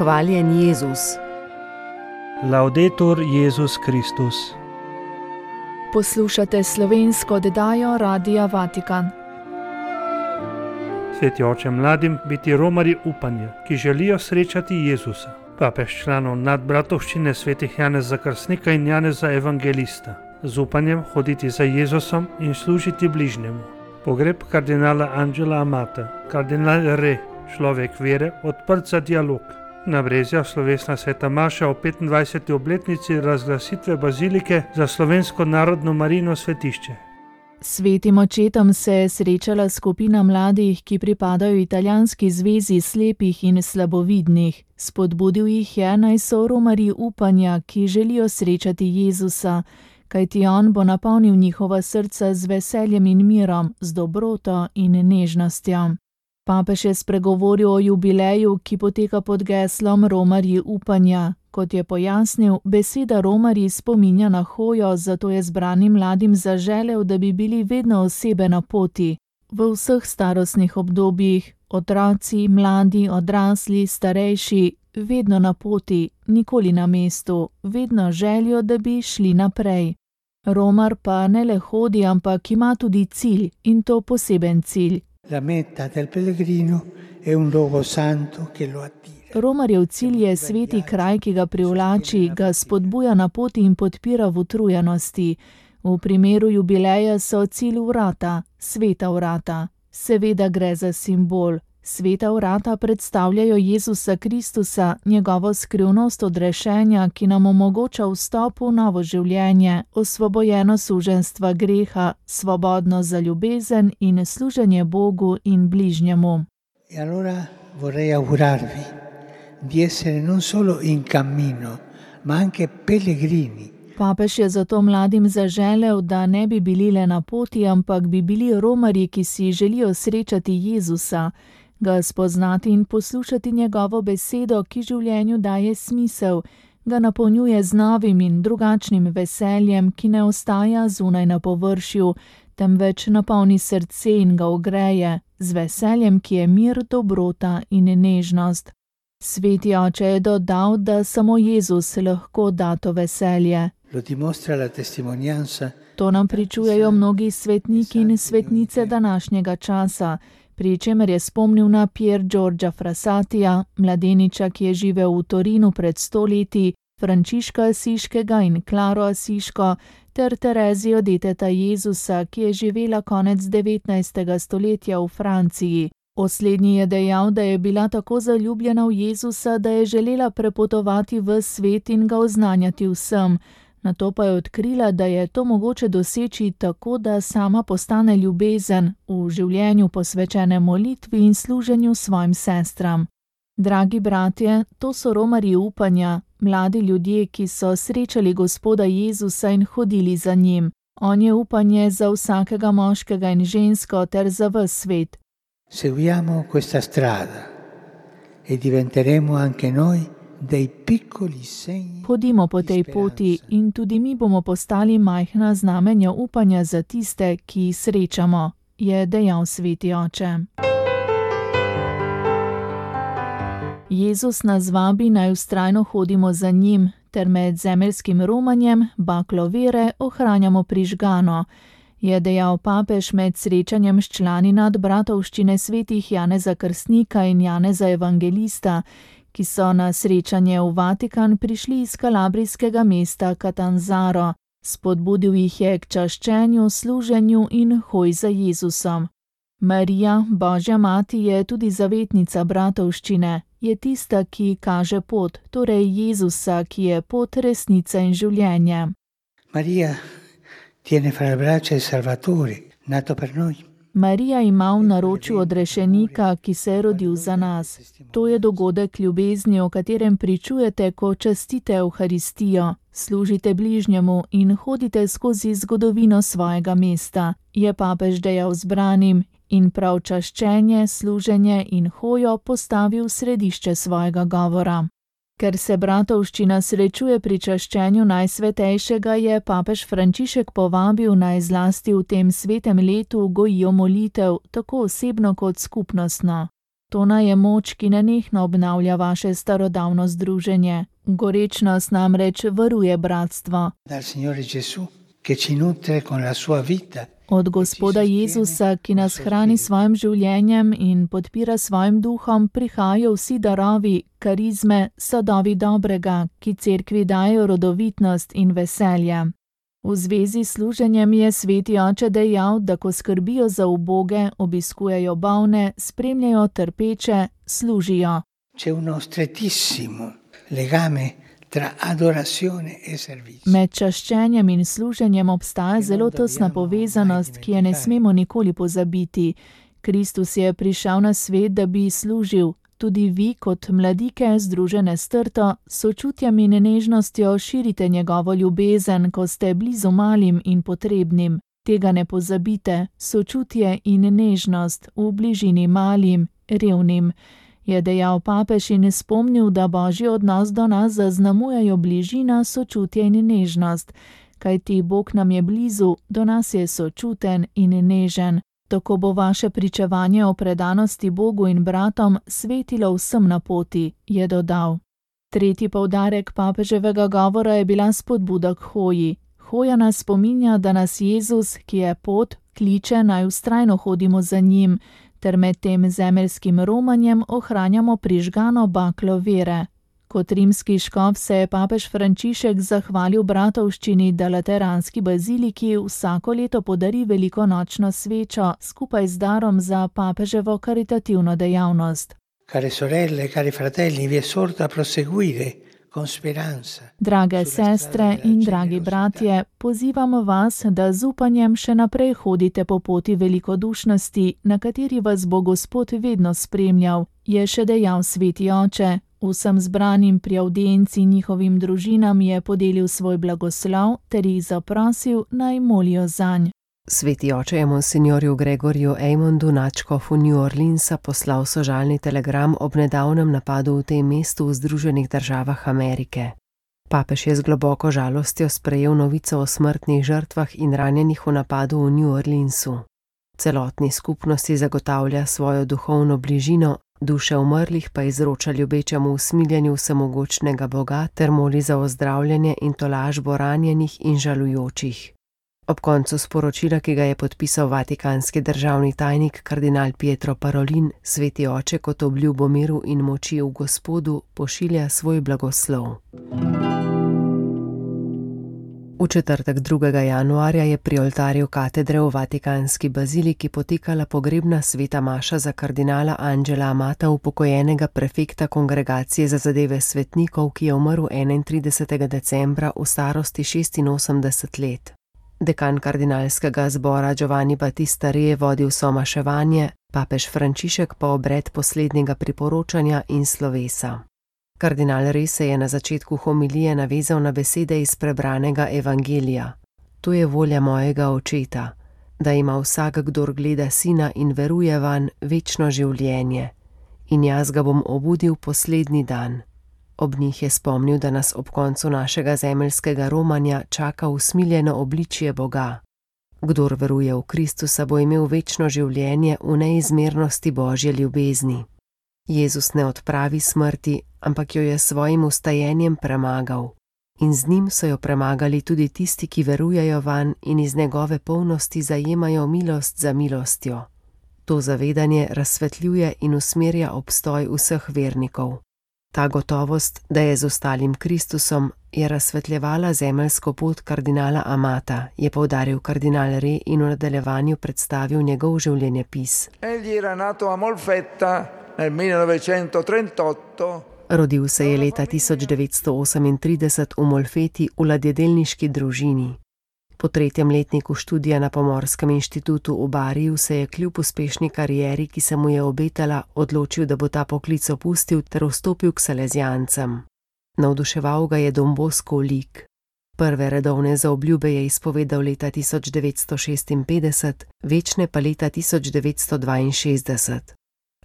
Hvaljen Jezus. Laudetur Jezus Kristus. Poslušate slovensko oddajo Radia Vatikan. Sveti oče, mladim biti romarji upanja, ki želijo srečati Jezusa. Papež članov nadbratovščine svetih Janeza Krstnika in Janeza Evangelista. Z upanjem hoditi za Jezusom in služiti bližnjemu. Pogreb kardinala Angela Amata, kardinal Re, človek vere, odprt za dialog. Na Brezjah slovesna sveta maša o 25. obletnici razglasitve bazilike za slovensko narodno Marijino svetišče. Svetim očetom se je srečala skupina mladih, ki pripadajo italijanski zvezi slepih in slabovidnih. Spodbudil jih je, naj so romarji upanja, ki želijo srečati Jezusa, kajti on bo napolnil njihova srca z veseljem in mirom, z dobroto in nežnostjo. Papež je spregovoril o jubileju, ki poteka pod geslom Romarji upanja. Kot je pojasnil, beseda romarji spominja na hojo, zato je zbranim mladim zaželel, da bi bili vedno osebe na poti. V vseh starostnih obdobjih, otroci, mladi, odrasli, starejši, vedno na poti, nikoli na mestu, vedno željo, da bi šli naprej. Romar pa ne le hodi, ampak ima tudi cilj, in to poseben cilj. La meta del pellegrino è un luogo santo che lo attira. Romarjev cilj je sveti kraj, ki ga privlači, ga spodbuja na poti in podpira v utrujenosti. V primeru jubileja so cilj vrata, sveta vrata. Seveda gre za simbol. Sveta vrata predstavljajo Jezusa Kristusa, njegovo skrivnost odrešenja, ki nam omogoča vstop v novo življenje, osvobojeno suženstva greha, svobodno za ljubezen in služenje Bogu in bližnjemu. E allora vorrei augurarvi di essere non solo in cammino, ma anche pellegrini. Papež je zato mladim zaželel, da ne bi bili le na poti, ampak bi bili romarji, ki si želijo srečati Jezusa, ga spoznati in poslušati njegovo besedo, ki življenju daje smisel, ga napolnjuje z novim in drugačnim veseljem, ki ne ostaja zunaj na površju, temveč napolni srce in ga ogreje, z veseljem, ki je mir, dobrota in nežnost. Sveti oče je dodal, da samo Jezus lahko da to veselje. To nam pričujejo mnogi svetniki in svetnice današnjega časa, pri čemer je spomnil na Pier Giorgia Frassatija, mladeniča, ki je živel v Torinu pred 100 leti, Frančiška Asiškega in Klaro Asiško, ter Terezijo deteta Jezusa, ki je živela konec 19. stoletja v Franciji. O slednji je dejal, da je bila tako zaljubljena v Jezusa, da je želela prepotovati v svet in ga oznanjati vsem. Nato pa je odkrila, da je to mogoče doseči tako, da sama postane ljubezen v življenju posvečene molitvi in služenju svojim sestram. Dragi bratje, to so romarji upanja, mladi ljudje, ki so srečali Gospoda Jezusa in hodili za njim. On je upanje za vsakega moškega in žensko ter za ves svet. Seguiamo questa strada e diventeremo anche noi dei piccoli segni. Hodimo po tej poti in tudi mi bomo postali majhna znamenja upanja za tiste, ki jih srečamo, je dejal sveti oče. Jezus nas vabi, naj vztrajno hodimo za njim, ter med zemeljskim romanjem, baklo vere, ohranjamo prižgano, je dejal papež med srečanjem s člani nadbratovščine svetih Janeza Krstnika in Janeza Evangelista, ki so na srečanje v Vatikan prišli iz kalabrijskega mesta Catanzaro. Spodbudil jih je k čaščenju, služenju in hoj za Jezusom. Marija, Božja mati, je tudi zavetnica bratovščine, je tista, ki kaže pot, torej Jezusa, ki je pot, resnica in življenje. Marija tiene fra le braccia il Salvatore, nato per noi. Marija ima v naročju odrešenika, ki se je rodil za nas. To je dogodek ljubezni, o katerem pričujete, ko častite Evharistijo, služite bližnjemu in hodite skozi zgodovino svojega mesta, je papež dejal zbranim in prav čaščenje, služenje in hojo postavil v središče svojega govora. Ker se bratovščina srečuje pri čaščenju Najsvetejšega, je papež Frančišek povabil, naj zlasti v tem svetem letu gojijo molitev, tako osebno kot skupnostno. To naj je moč, ki nenehno obnavlja vaše starodavno združenje. Gorečnost namreč varuje bratstvo. Dal Signore Gesù, che ci nutre con la sua vita. Od Gospoda Jezusa, ki nas hrani svojim življenjem in podpira svojim duhom, prihajajo vsi darovi, karizme, sadovi dobrega, ki cerkvi dajo rodovitnost in veselje. V zvezi s služenjem je sveti oče dejal, da ko skrbijo za uboge, obiskujejo bolne, spremljajo trpeče, služijo. C'è uno strettissimo legame tra adorazione e servizio. Med čaščenjem in služenjem obstaja zelo tesna povezanost, ki je ne smemo nikoli pozabiti. Kristus je prišel na svet, da bi služil. Tudi vi, kot mladike, združene s trto, sočutjem in nežnostjo širite njegovo ljubezen, ko ste blizu malim in potrebnim. Tega ne pozabite, sočutje in nežnost v bližini malim, revnim. Je dejal papež in spomnil, da božji odnos do nas zaznamujejo bližina, sočutje in nežnost. Kajti Bog nam je blizu, do nas je sočuten in nežen. Tako bo vaše pričevanje o predanosti Bogu in bratom svetilo vsem na poti, je dodal. Tretji poudarek papeževega govora je bila spodbuda k hoji. Hoja nas spominja, da nas Jezus, ki je pot, kliče, naj vztrajno hodimo za njim, ter med tem zemeljskim romanjem ohranjamo prižgano baklo vere. Kot rimski škof se je papež Frančišek zahvalil bratovščini, da lateranski baziliki vsako leto podari velikonočno svečo skupaj z darom za papeževo karitativno dejavnost. Care sorelle, cari fratelli, vi esorto a proseguire con speranza. Drage sestre in dragi bratje, pozivamo vas, da z upanjem še naprej hodite po poti velikodušnosti, na kateri vas bo Gospod vedno spremljal, je še dejal sveti oče. Vsem zbranim pri avdienci njihovim družinam je podelil svoj blagoslov ter jih zaprosil, naj molijo zanj. Sveti oče je monsignorju Gregorju Eymondu, nadškofu New Orleansa, poslal sožalni telegram ob nedavnem napadu v tem mestu v Združenih državah Amerike. Papež je z globoko žalostjo sprejel novico o smrtnih žrtvah in ranjenih v napadu v New Orleansu. Celotni skupnosti zagotavlja svojo duhovno bližino, duše umrlih pa izroča ljubečemu usmiljenju vsemogočnega Boga ter moli za ozdravljanje in tolažbo ranjenih in žalujočih. Ob koncu sporočila, ki ga je podpisal vatikanski državni tajnik kardinal Pietro Parolin, sveti oče kot obljubo miru in moči v Gospodu pošilja svoj blagoslov. V četrtek 2. januarja je pri oltarju katedre v vatikanski baziliki potekala pogrebna sveta maša za kardinala Angela Amata, upokojenega prefekta Kongregacije za zadeve svetnikov, ki je umrl 31. decembra v starosti 86 let. Dekan kardinalskega zbora Giovanni Battista Re je vodil somaševanje, papež Frančišek pa obred poslednjega priporočanja in slovesa. Kardinal Re se je na začetku homilije navezal na besede iz prebranega evangelija. To je volja mojega očeta, da ima vsak, kdor gleda sina in veruje vanj, večno življenje. In jaz ga bom obudil poslednji dan. Ob njih je spomnil, da nas ob koncu našega zemeljskega romanja čaka usmiljeno obličje Boga. Kdor veruje v Kristusa, bo imel večno življenje v neizmernosti Božje ljubezni. Jezus ne odpravi smrti, ampak jo je svojim vstajenjem premagal. In z njim so jo premagali tudi tisti, ki verujejo vanj in iz njegove polnosti zajemajo milost za milostjo. To zavedanje razsvetljuje in usmerja obstoj vseh vernikov. Ta gotovost, da je z ostalim Kristusom, je razsvetljevala zemeljsko pot kardinala Amata, je poudaril kardinal Re in v nadaljevanju predstavil njegov življenjepis. Egli era nato a Molfetta nel 1938. Rodil se je leta 1938 v Molfeti v ladjedelniški družini. Po 3. letniku študija na Pomorskem inštitutu v Bariju se je kljub uspešni karieri, ki se mu je obetala, odločil, da bo ta poklic opustil ter vstopil k salezijancem. Navduševal ga je Don Bosco lik. Prve redovne zaobljube je izpovedal leta 1956, večne pa leta 1962.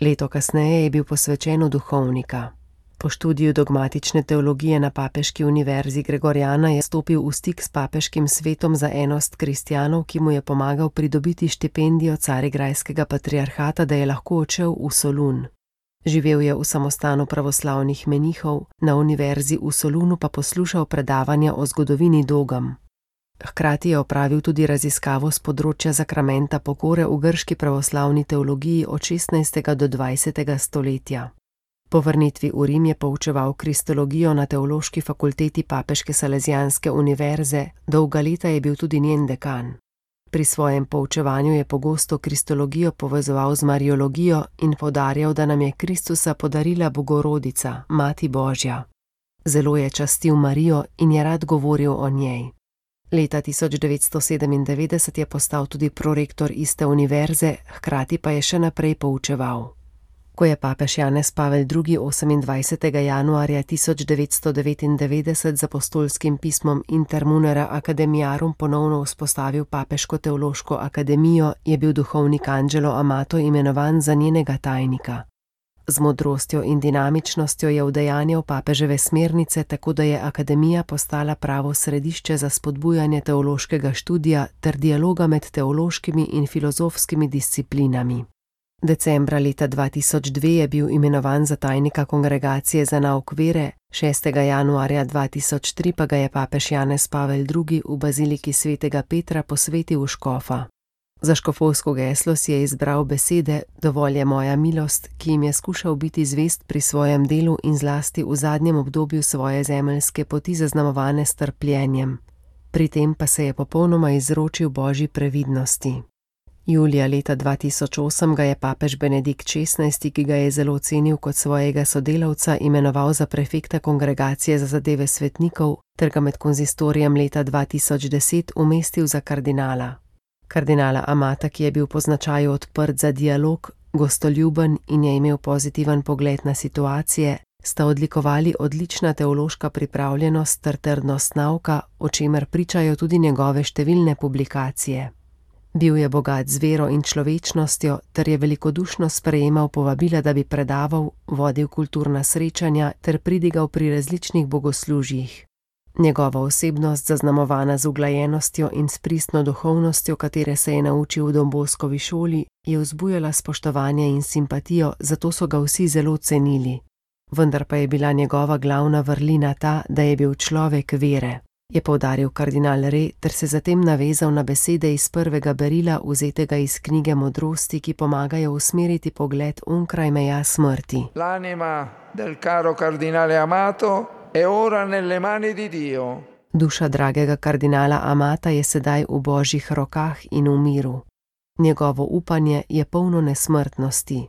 Leto kasneje je bil posvečen v duhovnika. Po študiju dogmatične teologije na Papeški univerzi Gregoriana je stopil v stik s papeškim svetom za enost kristjanov, ki mu je pomagal pridobiti štipendijo Carigrajskega patriarhata, da je lahko odšel v Solun. Živel je v samostanu pravoslavnih menihov, na univerzi v Solunu pa poslušal predavanja o zgodovini dogam. Hkrati je opravil tudi raziskavo z področja zakramenta pokore v grški pravoslavni teologiji od 16. do 20. stoletja. Po vrnitvi v Rim je poučeval kristologijo na teološki fakulteti Papeške Salezijanske univerze, dolga leta je bil tudi njen dekan. Pri svojem poučevanju je pogosto kristologijo povezoval z mariologijo in poudarjal, da nam je Kristusa podarila Bogorodica, Mati Božja. Zelo je častil Marijo in je rad govoril o njej. Leta 1997 je postal tudi prorektor iste univerze, hkrati pa je še naprej poučeval. Ko je papež Janez Pavel II. 28. januarja 1999 z apostolskim pismom Inter Munera Academiarum ponovno vzpostavil Papeško teološko akademijo, je bil duhovnik Angelo Amato imenovan za njenega tajnika. Z modrostjo in dinamičnostjo je udejanjal papeževe smernice, tako da je akademija postala pravo središče za spodbujanje teološkega študija ter dialoga med teološkimi in filozofskimi disciplinami. Decembra leta 2002 je bil imenovan za tajnika Kongregacije za nauk vere, 6. januarja 2003 pa ga je papež Janez Pavel II. V baziliki svetega Petra posvetil v škofa. Za škofovsko geslo si je izbral besede "Dovolj je moja milost", ki jim je skušal biti zvest pri svojem delu in zlasti v zadnjem obdobju svoje zemeljske poti zaznamovane s trpljenjem. Pri tem pa se je popolnoma izročil Božji previdnosti. Julija leta 2008 ga je papež Benedikt XVI., ki ga je zelo cenil kot svojega sodelavca, imenoval za prefekta Kongregacije za zadeve svetnikov ter ga med konzistorijem leta 2010 umestil za kardinala. Kardinala Amata, ki je bil po značaju odprt za dialog, gostoljuben in je imel pozitiven pogled na situacije, sta odlikovali odlična teološka pripravljenost ter trdnost nauka, o čemer pričajo tudi njegove številne publikacije. Bil je bogat z vero in človečnostjo ter je velikodušno sprejemal povabila, da bi predaval, vodil kulturna srečanja ter pridigal pri različnih bogoslužjih. Njegova osebnost, zaznamovana z uglajenostjo in s pristno duhovnostjo, katere se je naučil v Don Boskovi šoli, je vzbujala spoštovanje in simpatijo, zato so ga vsi zelo cenili. Vendar pa je bila njegova glavna vrlina ta, da je bil človek vere, je poudaril kardinal Re ter se zatem navezal na besede iz prvega berila, vzetega iz knjige Modrosti, ki pomagajo usmeriti pogled onkraj meja smrti. L'anima del caro cardinale Amato è ora nelle mani di Dio. Duša dragega kardinala Amata je sedaj v Božjih rokah in v miru. Njegovo upanje je polno nesmrtnosti.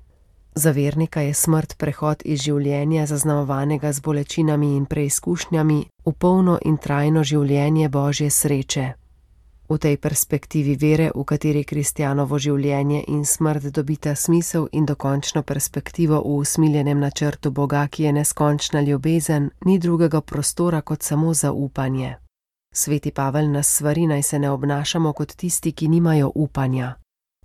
Za vernika je smrt prehod iz življenja, zaznamovanega z bolečinami in preizkušnjami, v polno in trajno življenje Božje sreče. V tej perspektivi vere, v kateri kristjanovo življenje in smrt dobita smisel in dokončno perspektivo v usmiljenem načrtu Boga, ki je neskončna ljubezen, ni drugega prostora kot samo zaupanje. Sveti Pavel nas svari, naj se ne obnašamo kot tisti, ki nimajo upanja.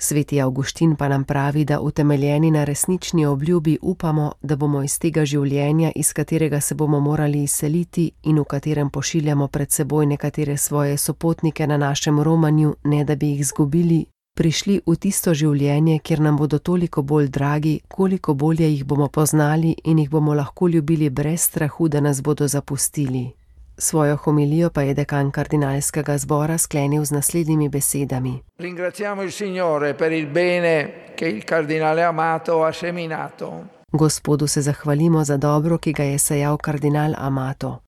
Sveti Avguštin pa nam pravi, da utemeljeni na resnični obljubi upamo, da bomo iz tega življenja, iz katerega se bomo morali izseliti in v katerem pošiljamo pred seboj nekatere svoje sopotnike na našem romanju, ne da bi jih izgubili, prišli v tisto življenje, kjer nam bodo toliko bolj dragi, koliko bolje jih bomo poznali in jih bomo lahko ljubili brez strahu, da nas bodo zapustili. Svojo homilijo pa je dekan kardinalskega zbora sklenil z naslednjimi besedami. Ringraziamo il Signore per il bene che il cardinale Amato ha seminato. Gospodu se zahvalimo za dobro, ki ga je sejal kardinal Amato.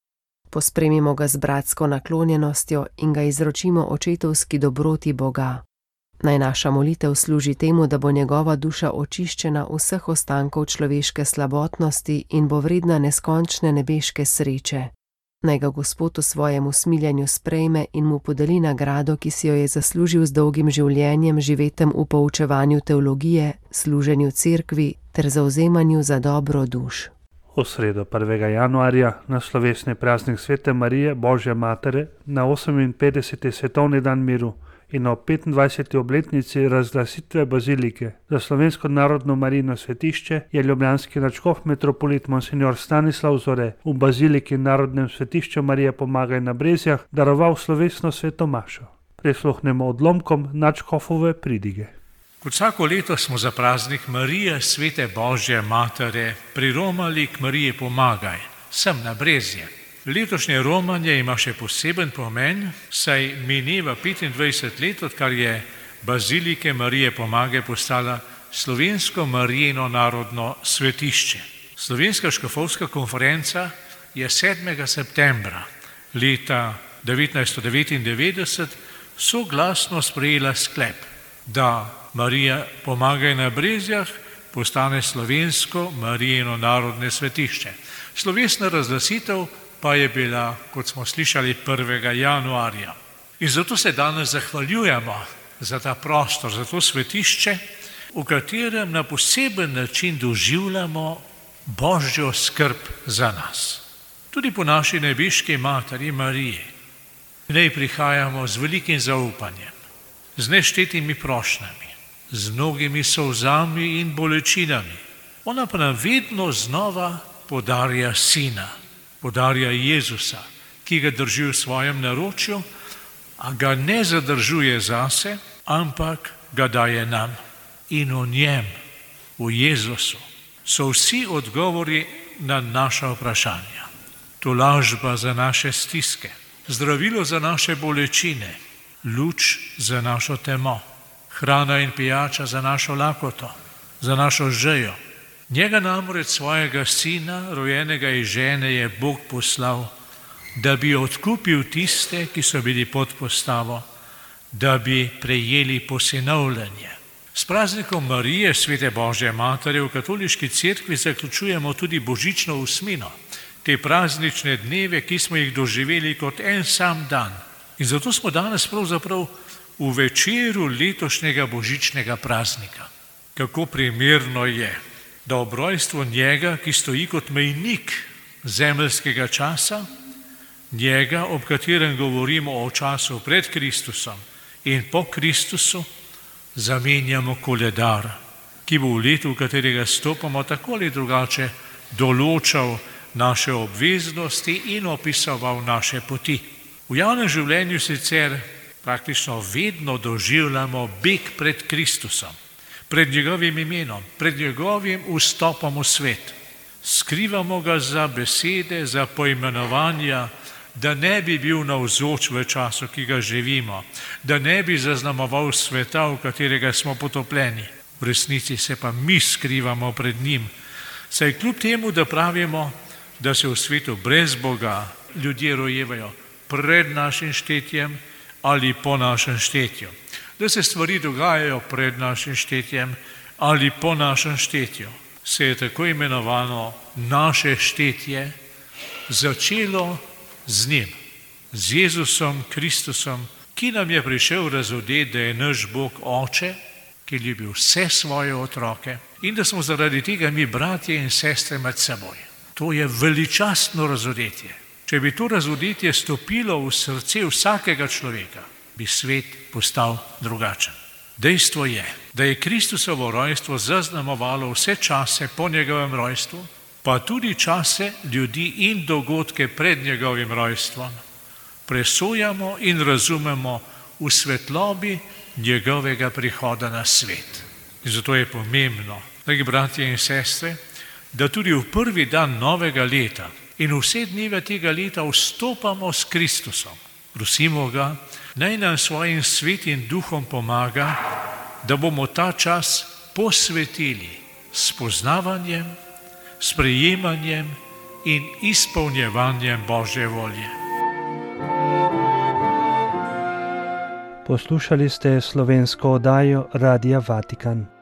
Pospremimo ga z bratsko naklonjenostjo in ga izročimo očetovski dobroti Boga. Naj naša molitev služi temu, da bo njegova duša očiščena vseh ostankov človeške slabotnosti in bo vredna neskončne nebeške sreče. Naj ga Gospod v svojem usmiljenju sprejme in mu podeli nagrado, ki si jo je zaslužil z dolgim življenjem, živetem v poučevanju teologije, služenju cerkvi ter zavzemanju za dobro duš. V sredo 1. januarja na slovesni praznik Svete Marije, Božje Matere, na 58. svetovni dan miru in ob 25. obletnici razglasitve bazilike za slovensko narodno Marijino svetišče je ljubljanski nadškof metropolit Monsignor Stanislav Zore v baziliki Narodnem svetišču Marije Pomagaj na Brezjah daroval slovesno sveto mašo. Prisluhnemo odlomkom nadškofove pridige. Kot vsako leto smo za praznik Marije, svete Božje matere, priromali k Mariji Pomagaj, sem na Brezje. Letošnje romanje ima še poseben pomen, saj mineva 25 let, odkar je bazilike Marije Pomagaj postala slovensko Marijino narodno svetišče. Slovenska škofovska konferenca je 7. septembra leta 1999 soglasno sprejela sklep, da Marija Pomagaj na Brezjah postane slovensko Marijino narodno svetišče. Slovesna razglasitev pa je bila, kot smo slišali, 1. januarja. In zato se danes zahvaljujemo za ta prostor, za to svetišče, v katerem na poseben način doživljamo Božjo skrb za nas. Tudi po naši nebeški materi Mariji. V njej prihajamo z velikim zaupanjem, z neštetimi prošnjami, z mnogimi solzami in bolečinami. Ona pa nam vedno znova podarja Sina, podarja Jezusa, ki ga drži v svojem naročju, a ga ne zadržuje zase, ampak ga daje nam. In v njem, v Jezusu, so vsi odgovori na naša vprašanja. Tolažba za naše stiske, zdravilo za naše bolečine, luč za našo temo, hrana in pijača za našo lakoto, za našo žejo. Njega namreč svojega sina, rojenega iz žene, je Bog poslal, da bi odkupil tiste, ki so bili pod postavo, da bi prejeli posinovljenje. S praznikom Marije, svete Božje matere, v katoliški cerkvi zaključujemo tudi božično osmino, te praznične dneve, ki smo jih doživeli kot en sam dan. In zato smo danes pravzaprav v večeru letošnjega božičnega praznika. Kako primerno je, da ob rojstvu njega, ki stoji kot mejnik zemeljskega časa, njega, ob katerem govorimo o času pred Kristusom in po Kristusu, zamenjamo koledar, ki bo v letu, v katerega stopamo, tako ali drugače določal naše obveznosti in opisoval naše poti. V javnem življenju sicer praktično vedno doživljamo beg pred Kristusom, pred njegovim imenom, pred njegovim vstopom v svet. Skrivamo ga za besede, za poimenovanja, da ne bi bil navzoč v času, ki ga živimo, da ne bi zaznamoval sveta, v katerega smo potopljeni. V resnici se pa mi skrivamo pred njim, saj kljub temu, da pravimo, da se v svetu brez Boga ljudje rojevajo pred našim štetjem ali po našem štetju, da se stvari dogajajo pred našim štetjem ali po našem štetju, se je tako imenovano naše štetje začelo z njim, z Jezusom Kristusom, ki nam je prišel razodeti, da je naš Bog Oče, ki ljubi vse svoje otroke in da smo zaradi tega mi bratje in sestre med seboj. To je veličastno razodetje. Če bi to razodetje stopilo v srce vsakega človeka, bi svet postal drugačen. Dejstvo je, da je Kristusovo rojstvo zaznamovalo vse čase po njegovem rojstvu, pa tudi čase ljudi in dogodke pred njegovim rojstvom. Presojamo in razumemo v svetlobi njegovega prihoda na svet. In zato je pomembno, dragi bratje in sestre, da tudi v prvi dan novega leta in vse dneve tega leta vstopamo s Kristusom. Prosimo ga, naj nam svojim svetim duhom pomaga, da bomo ta čas posvetili spoznavanjem, sprejemanjem in izpolnjevanjem Božje volje. Poslušali ste slovensko oddajo Radia Vatikan.